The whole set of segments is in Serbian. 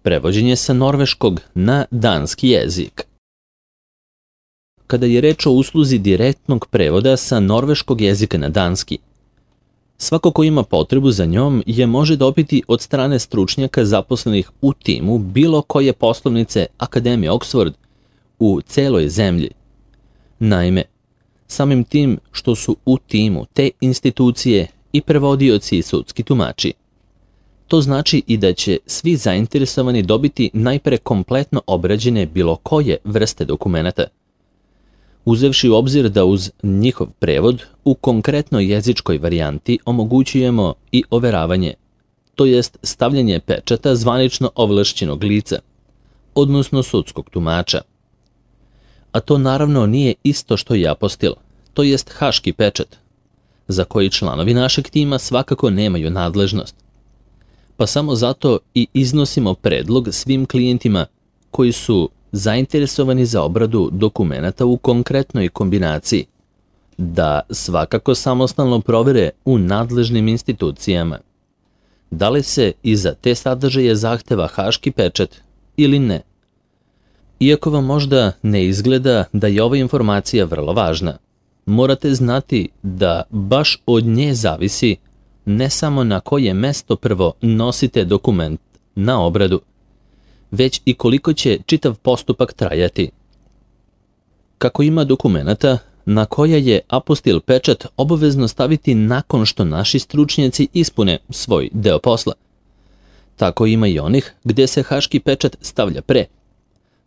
prevođenje sa norveškog na danski jezik. Kada je reč o usluzi direktnog prevoda sa norveškog jezika na danski, svako ko ima potrebu za njom je može dobiti od strane stručnjaka zaposlenih u timu bilo koje poslovnice Akademije Oxford u celoj zemlji. Naime, samim tim što su u timu te institucije i prevodioci i sudski tumači, to znači i da će svi zainteresovani dobiti najpre kompletno obrađene bilo koje vrste dokumenata, uzevši u obzir da uz njihov prevod u konkretnoj jezičkoj varijanti omogućujemo i overavanje, to jest stavljanje pečata zvanično ovlašćenog lica, odnosno sudskog tumača. A to naravno nije isto što i apostil, to jest haški pečat, za koji članovi našeg tima svakako nemaju nadležnost. Pa samo zato i iznosimo predlog svim klijentima koji su zainteresovani za obradu dokumenata u konkretnoj kombinaciji, da svakako samostalno provere u nadležnim institucijama da li se i za te sadržaje zahteva haški pečat ili ne. Iako vam možda ne izgleda da je ova informacija vrlo važna, morate znati da baš od nje zavisi ne samo na koje mesto prvo nosite dokument na obradu, već i koliko će čitav postupak trajati. Kako ima dokumenata na koja je apostil pečat obavezno staviti nakon što naši stručnjaci ispune svoj deo posla, tako ima i onih gde se haški pečat stavlja pre.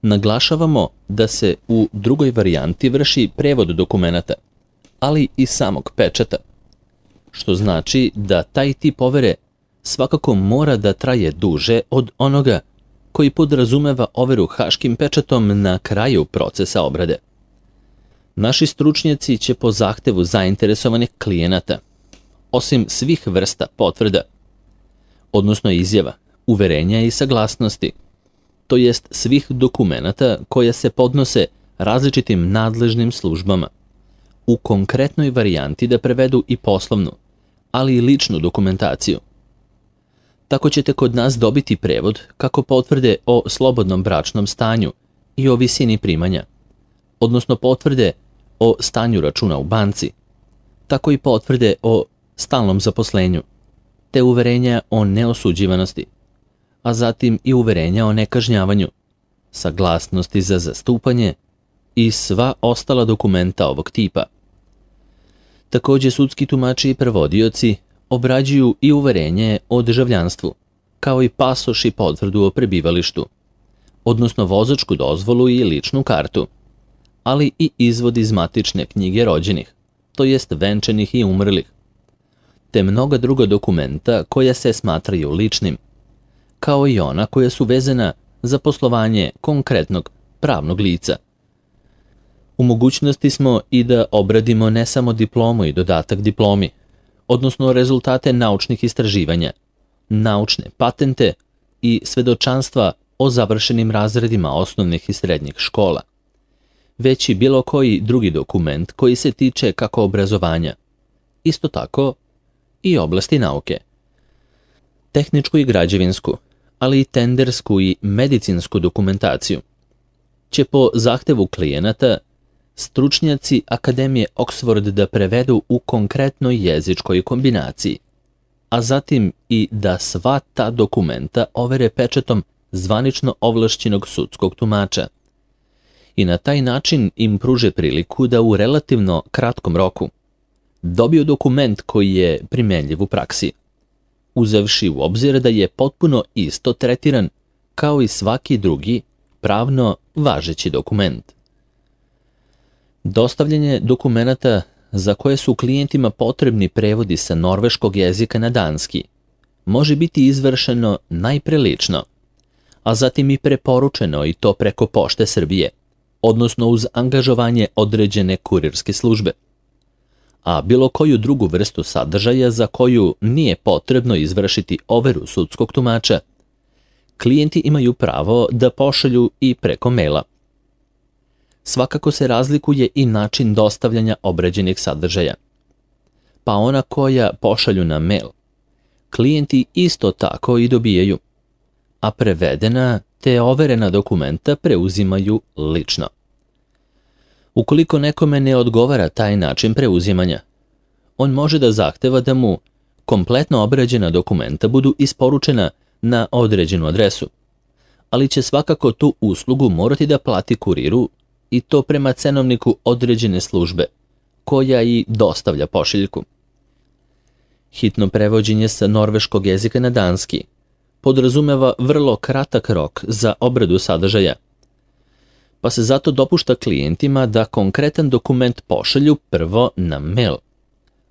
Naglašavamo da se u drugoj varijanti vrši prevod dokumenata, ali i samog pečata, što znači da taj tip overe svakako mora da traje duže od onoga koji podrazumeva overu haškim pečatom na kraju procesa obrade. Naši stručnjaci će po zahtevu zainteresovanih klijenata, osim svih vrsta potvrda, odnosno izjava, uverenja i saglasnosti, to jest svih dokumenata koja se podnose različitim nadležnim službama, u konkretnoj varijanti da prevedu i poslovnu, ali i ličnu dokumentaciju. Tako ćete kod nas dobiti prevod kako potvrde o slobodnom bračnom stanju i o visini primanja, odnosno potvrde o stanju računa u banci, tako i potvrde o stalnom zaposlenju, te uverenja o neosuđivanosti, a zatim i uverenja o nekažnjavanju, saglasnosti za zastupanje i sva ostala dokumenta ovog tipa. Također sudski tumači i prevodioci obrađuju i uverenje o državljanstvu, kao i pasoš i potvrdu o prebivalištu, odnosno vozačku dozvolu i ličnu kartu, ali i izvod iz matične knjige rođenih, to jest venčanih i umrlih, te mnoga druga dokumenta koja se smatraju ličnim, kao i ona koja su vezana za poslovanje konkretnog pravnog lica. U mogućnosti smo i da obradimo ne samo diplomu i dodatak diplomi, odnosno rezultate naučnih istraživanja, naučne patente i svedočanstva o završenim razredima osnovnih i srednjih škola, već i bilo koji drugi dokument koji se tiče kako obrazovanja, isto tako i oblasti nauke. Tehničku i građevinsku, ali i tendersku i medicinsku dokumentaciju će po zahtevu klijenata stručnjaci Akademije Oxford da prevedu u konkretnoj jezičkoj kombinaciji, a zatim i da sva ta dokumenta overe pečatom zvanično ovlašćenog sudskog tumača i na taj način im pruže priliku da u relativno kratkom roku dobiju dokument koji je primenljiv u praksi, uzevši u obzir da je potpuno isto tretiran kao i svaki drugi pravno važeći dokument. Dostavljanje dokumenata za koje su klijentima potrebni prevodi sa norveškog jezika na danski može biti izvršeno najpre lično, a zatim i preporučeno i to preko Pošte Srbije, odnosno uz angažovanje određene kurirske službe. A bilo koju drugu vrstu sadržaja za koju nije potrebno izvršiti overu sudskog tumača, klijenti imaju pravo da pošalju i preko maila. Svakako se razlikuje i način dostavljanja obrađenih sadržaja. Pa ona koja pošalju na mail, klijenti isto tako i dobijaju. a prevedena te overena dokumenta preuzimaju lično. Ukoliko nekome ne odgovara taj način preuzimanja, on može da zahteva da mu kompletno obrađena dokumenta budu isporučena na određenu adresu, ali će svakako tu uslugu morati da plati kuriru i to prema cenovniku određene službe, koja i dostavlja pošiljku. Hitno prevođenje sa norveškog jezika na danski podrazumeva vrlo kratak rok za obradu sadržaja, pa se zato dopušta klijentima da konkretan dokument pošalju prvo na mail,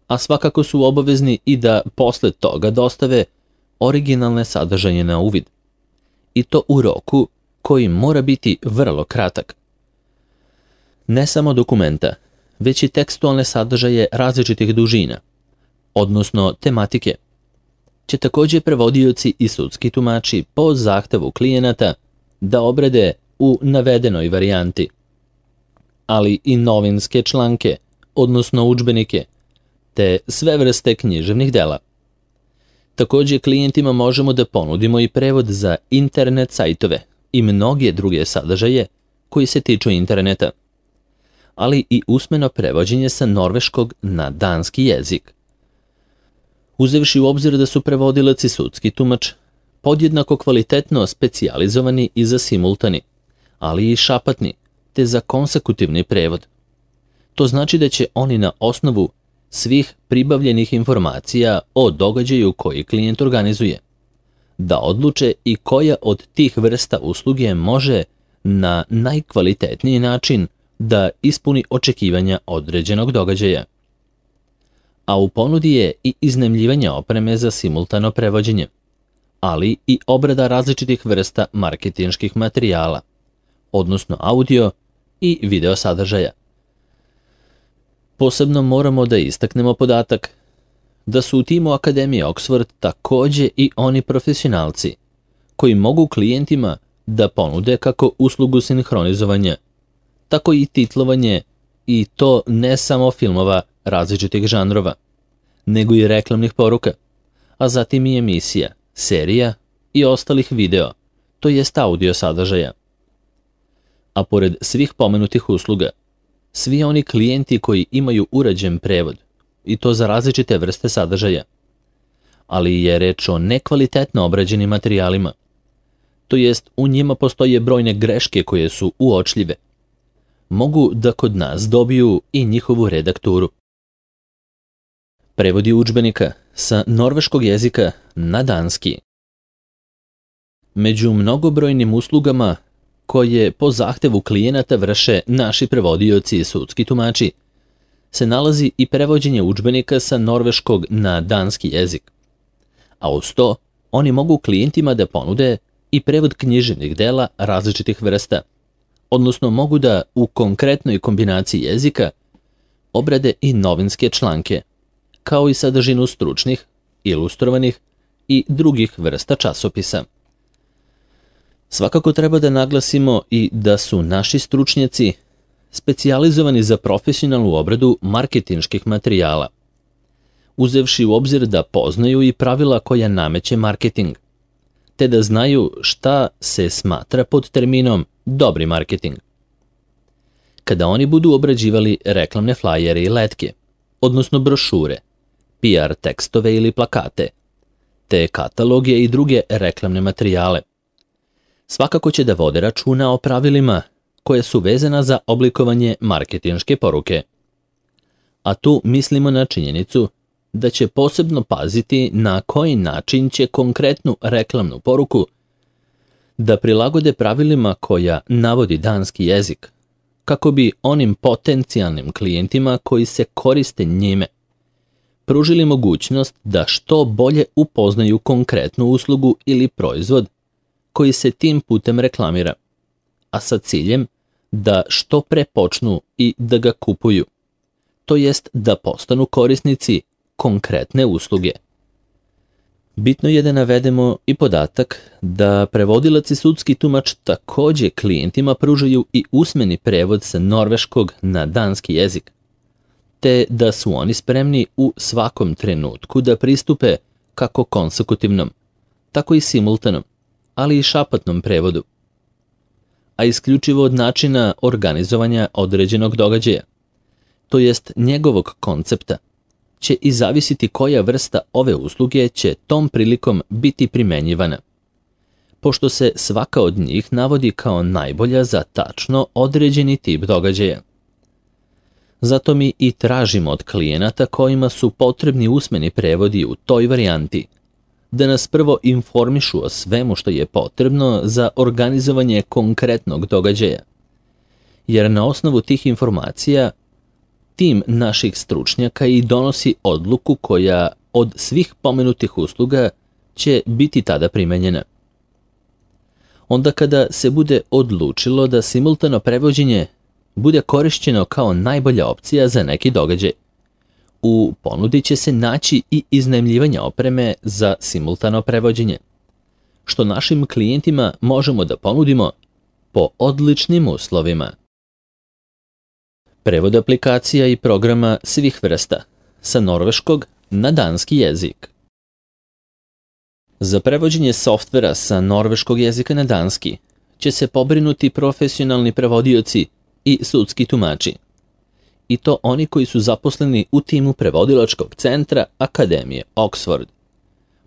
a svakako su obavezni i da posle toga dostave originalne sadržaje na uvid, i to u roku koji mora biti vrlo kratak. Ne samo dokumenta, već i tekstualne sadržaje različitih dužina, odnosno tematike, će također prevodioci i sudski tumači po zahtevu klijenata da obrade u navedenoj varijanti, ali i novinske članke, odnosno udžbenike, te sve vrste književnih dela. Također klijentima možemo da ponudimo i prevod za internet sajtove i mnoge druge sadržaje koji se tiču interneta, ali i usmeno prevođenje sa norveškog na danski jezik. Uzevši u obzir da su prevodilac i sudski tumač podjednako kvalitetno specijalizovani i za simultani, ali i šapatni, te za konsekutivni prevod. To znači da će oni na osnovu svih pribavljenih informacija o događaju koji klijent organizuje da odluče i koja od tih vrsta usluge može na najkvalitetniji način da ispuni očekivanja određenog događaja. A u ponudi je i iznajmljivanje opreme za simultano prevođenje, ali i obrada različitih vrsta marketinških materijala, odnosno audio i video sadržaja. Posebno moramo da istaknemo podatak da su u timu Akademije Oxford također i oni profesionalci koji mogu klijentima da ponude kako uslugu sinhronizovanja, tako i titlovanje, i to ne samo filmova različitih žanrova, nego i reklamnih poruka, a zatim i emisija, serija i ostalih video, to jest audio sadržaja. A pored svih pomenutih usluga, svi oni klijenti koji imaju urađen prevod, i to za različite vrste sadržaja, ali je reč o nekvalitetno obrađenim materijalima, to jest u njima postoje brojne greške koje su uočljive, mogu da kod nas dobiju i njihovu redakturu. Prevodi udžbenika sa norveškog jezika na danski. Među mnogobrojnim uslugama koje po zahtevu klijenata vrše naši prevodioci i sudski tumači, se nalazi i prevođenje udžbenika sa norveškog na danski jezik. A uz to, oni mogu klijentima da ponude i prevod književnih dela različitih vrsta, odnosno mogu da u konkretnoj kombinaciji jezika obrade i novinske članke, kao i sadržinu stručnih, ilustrovanih i drugih vrsta časopisa. Svakako treba da naglasimo i da su naši stručnjaci specijalizovani za profesionalnu obradu marketinških materijala, uzevši u obzir da poznaju i pravila koja nameće marketing, te da znaju šta se smatra pod terminom dobri marketing. Kada oni budu obrađivali reklamne flajere i letke, odnosno brošure, PR tekstove ili plakate, te kataloge i druge reklamne materijale, svakako će da vode računa o pravilima koje su vezana za oblikovanje marketinške poruke. A tu mislimo na činjenicu da će posebno paziti na koji način će konkretnu reklamnu poruku da prilagode pravilima koja navodi danski jezik, kako bi onim potencijalnim klijentima koji se koriste njime pružili mogućnost da što bolje upoznaju konkretnu uslugu ili proizvod koji se tim putem reklamira, a sa ciljem da što pre počnu i da ga kupuju, to jest da postanu korisnici konkretne usluge. Bitno je da navedemo i podatak da prevodilac i sudski tumač također klijentima pružaju i usmeni prevod sa norveškog na danski jezik, te da su oni spremni u svakom trenutku da pristupe kako konsekutivnom, tako i simultanom, ali i šapatnom prevodu, a isključivo od načina organizovanja određenog događaja, to jest njegovog koncepta, će i zavisiti koja vrsta ove usluge će tom prilikom biti primenjivana, pošto se svaka od njih navodi kao najbolja za tačno određeni tip događaja. Zato mi i tražimo od klijenata kojima su potrebni usmeni prevodi u toj varijanti, da nas prvo informišu o svemu što je potrebno za organizovanje konkretnog događaja, jer na osnovu tih informacija tim naših stručnjaka i donosi odluku koja od svih pomenutih usluga će biti tada primenjena. Onda kada se bude odlučilo da simultano prevođenje bude korišćeno kao najbolja opcija za neki događaj, u ponudi će se naći i iznajmljivanje opreme za simultano prevođenje, što našim klijentima možemo da ponudimo po odličnim uslovima. Prevod aplikacija i programa svih vrsta, sa norveškog na danski jezik. Za prevođenje softvera sa norveškog jezika na danski će se pobrinuti profesionalni prevodioci i sudski tumači, i to oni koji su zaposleni u timu prevodilačkog centra Akademije Oxford.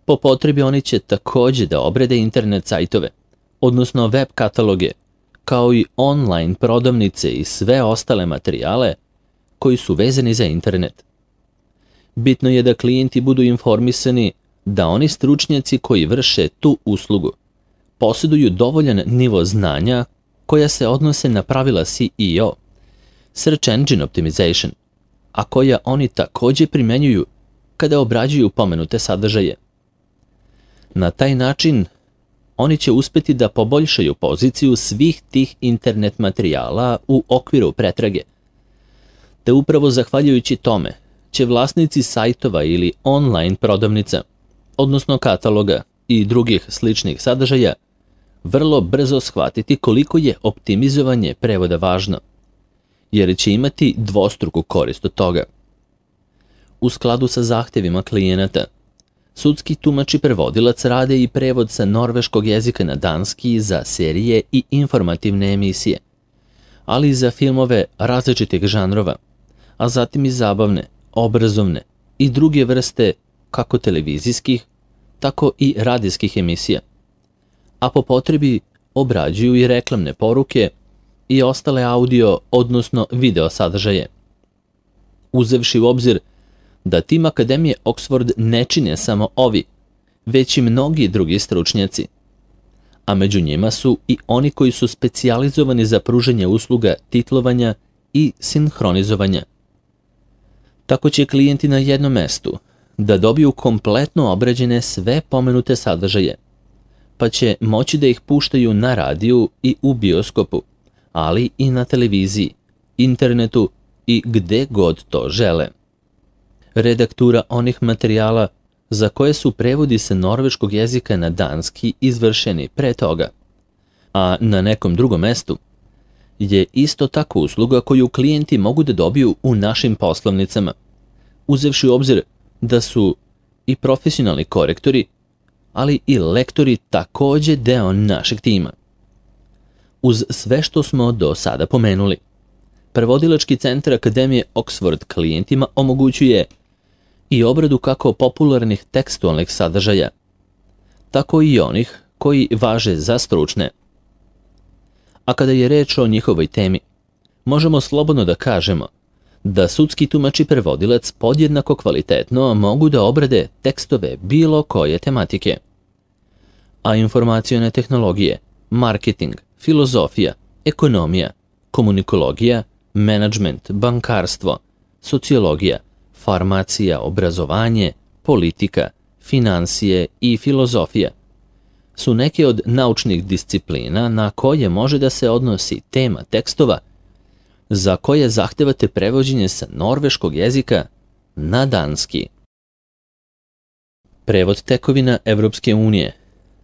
Po potrebi oni će takođe da obrade internet sajtove, odnosno web kataloge, kao i online prodavnice i sve ostale materijale koji su vezani za internet. Bitno je da klijenti budu informisani da oni stručnjaci koji vrše tu uslugu posjeduju dovoljan nivo znanja koja se odnose na pravila SEO, Search Engine Optimization, a koja oni takođe primenjuju kada obrađuju pomenute sadržaje. Na taj način oni će uspeti da poboljšaju poziciju svih tih internet materijala u okviru pretrage, te upravo zahvaljujući tome će vlasnici sajtova ili online prodavnica, odnosno kataloga i drugih sličnih sadržaja, vrlo brzo shvatiti koliko je optimizovanje prevoda važno, jer će imati dvostruku korist od toga. U skladu sa zahtevima klijenata, sudski tumač i prevodilac rade i prevod sa norveškog jezika na danski za serije i informativne emisije, ali i za filmove različitih žanrova, a zatim i zabavne, obrazovne i druge vrste kako televizijskih, tako i radijskih emisija, a po potrebi obrađuju i reklamne poruke i ostale audio, odnosno video sadržaje. Uzevši u obzir da tim Akademije Oxford ne čine samo ovi, već i mnogi drugi stručnjaci, a među njima su i oni koji su specijalizovani za pružanje usluga titlovanja i sinhronizovanja. Tako će klijenti na jednom mestu da dobiju kompletno obrađene sve pomenute sadržaje, pa će moći da ih puštaju na radiju i u bioskopu, ali i na televiziji, internetu i gde god to žele. Redaktura onih materijala za koje su prevodi sa norveškog jezika na danski izvršeni pre toga, a na nekom drugom mestu, je isto tako usluga koju klijenti mogu da dobiju u našim poslovnicama, uzevši u obzir da su i profesionalni korektori, ali i lektori takođe deo našeg tima. Uz sve što smo do sada pomenuli, prevodilački centar Akademije Oxford klijentima omogućuje i obradu kako popularnih tekstualnih sadržaja, tako i onih koji važe za stručne. A kada je reč o njihovoj temi, možemo slobodno da kažemo da sudski tumač i prevodilac podjednako kvalitetno mogu da obrade tekstove bilo koje tematike. A informacione tehnologije, marketing, filozofija, ekonomija, komunikologija, menadžment, bankarstvo, sociologija, farmacija, obrazovanje, politika, finansije i filozofija su neke od naučnih disciplina na koje može da se odnosi tema tekstova za koje zahtevate prevođenje sa norveškog jezika na danski. Prevod tekovina Evropske unije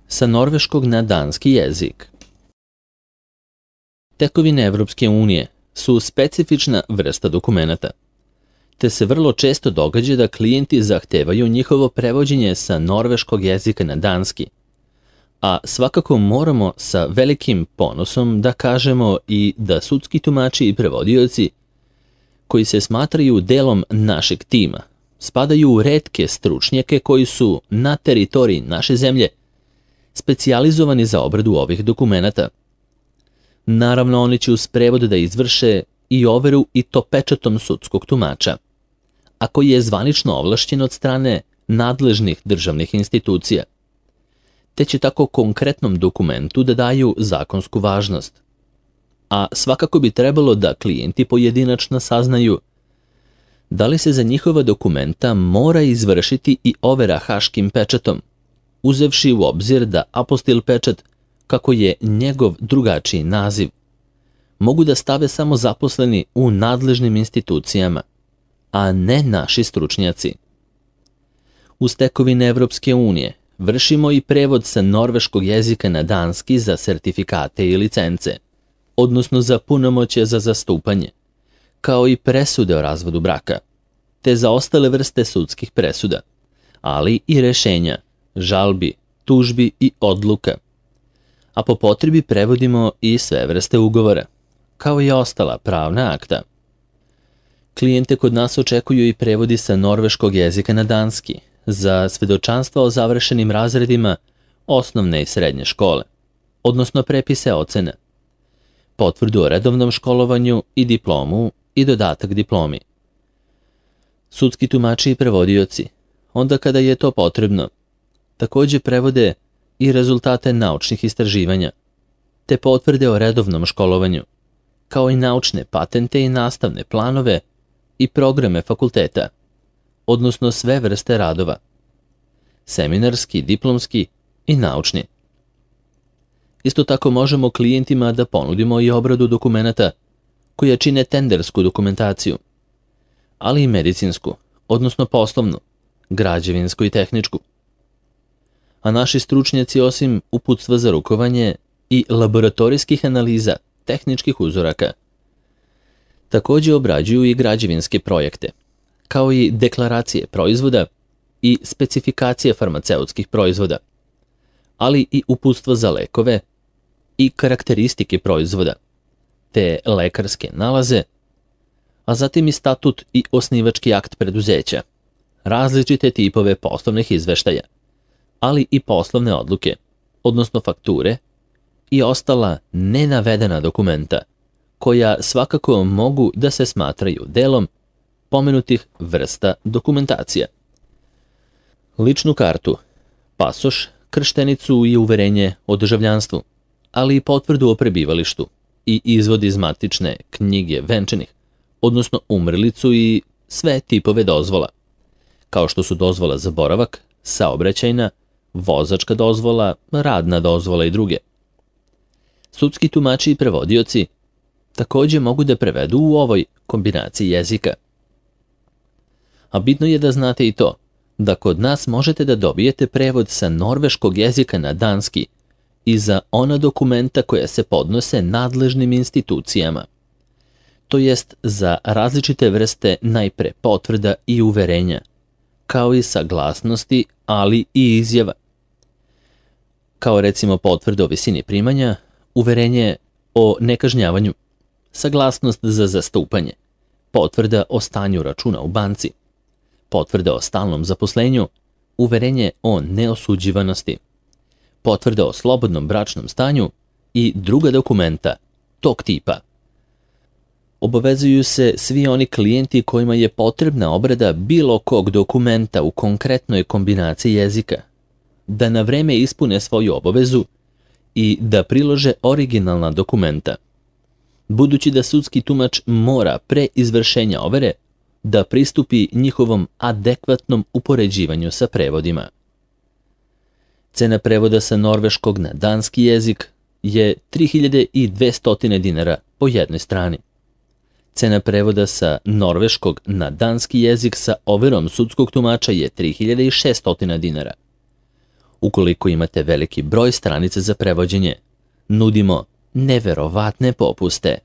sa norveškog na danski jezik. Tekovine Evropske unije su specifična vrsta dokumenata, te se vrlo često događa da klijenti zahtevaju njihovo prevođenje sa norveškog jezika na danski, A svakako moramo sa velikim ponosom da kažemo i da sudski tumači i prevodioci, koji se smatraju delom našeg tima, spadaju u retke stručnjake koji su na teritoriji naše zemlje specijalizovani za obradu ovih dokumenata. Naravno, oni će uz prevod da izvrše i overu i to pečatom sudskog tumača, a koji je zvanično ovlašćen od strane nadležnih državnih institucija, te će tako konkretnom dokumentu da daju zakonsku važnost. A svakako bi trebalo da klijenti pojedinačno saznaju da li se za njihova dokumenta mora izvršiti i overa haškim pečatom, uzevši u obzir da apostil pečat, kako je njegov drugačiji naziv, mogu da stave samo zaposleni u nadležnim institucijama, a ne naši stručnjaci. Uz tekovine Evropske unije vršimo i prevod sa norveškog jezika na danski za sertifikate i licence, odnosno za punomoćje za zastupanje, kao i presude o razvodu braka, te za ostale vrste sudskih presuda, ali i rešenja, žalbi, tužbi i odluka. A po potrebi prevodimo i sve vrste ugovora, kao i ostala pravna akta. Klijente kod nas očekuju i prevodi sa norveškog jezika na danski za svedočanstva o završenim razredima osnovne i srednje škole, odnosno prepise ocena, potvrdu o redovnom školovanju i diplomu i dodatak diplomi. Sudski tumači i prevodioci, onda kada je to potrebno, takođe prevode i rezultate naučnih istraživanja, te potvrde o redovnom školovanju, kao i naučne patente i nastavne planove i programe fakulteta, odnosno sve vrste radova, seminarski, diplomski i naučni. Isto tako možemo klijentima da ponudimo i obradu dokumenata koja čine tendersku dokumentaciju, ali i medicinsku, odnosno poslovnu, građevinsku i tehničku. A naši stručnjaci, osim uputstva za rukovanje i laboratorijskih analiza tehničkih uzoraka, takođe obrađuju i građevinske projekte, kao i deklaracije proizvoda i specifikacije farmaceutskih proizvoda, ali i uputstva za lekove i karakteristike proizvoda, te lekarske nalaze, a zatim i statut i osnivački akt preduzeća, različite tipove poslovnih izveštaja, ali i poslovne odluke, odnosno fakture i ostala nenavedena dokumenta, koja svakako mogu da se smatraju delom pomenutih vrsta dokumentacija. Ličnu kartu, pasoš, krštenicu i uverenje o državljanstvu, ali i potvrdu o prebivalištu i izvod iz matične knjige venčanih, odnosno umrlicu i sve tipove dozvola, kao što su dozvola za boravak, saobraćajna, vozačka dozvola, radna dozvola i druge. Sudski tumači i prevodioci takođe mogu da prevedu u ovoj kombinaciji jezika. A bitno je da znate i to, da kod nas možete da dobijete prevod sa norveškog jezika na danski i za ona dokumenta koja se podnose nadležnim institucijama, to jest za različite vrste najpre potvrda i uverenja, kao i saglasnosti, ali i izjava, kao recimo potvrda o visini primanja, uverenje o nekažnjavanju, saglasnost za zastupanje, potvrda o stanju računa u banci, potvrda o stalnom zaposlenju, uverenje o neosuđivanosti, potvrda o slobodnom bračnom stanju i druga dokumenta tog tipa. Obavezuju se svi oni klijenti kojima je potrebna obrada bilo kog dokumenta u konkretnoj kombinaciji jezika, da na vreme ispune svoju obavezu i da prilože originalna dokumenta, budući da sudski tumač mora pre izvršenja overe da pristupi njihovom adekvatnom upoređivanju sa prevodima. Cena prevoda sa norveškog na danski jezik je 3200 dinara po jednoj strani. Cena prevoda sa norveškog na danski jezik sa overom sudskog tumača je 3600 dinara. Ukoliko imate veliki broj stranica za prevođenje, nudimo neverovatne popuste.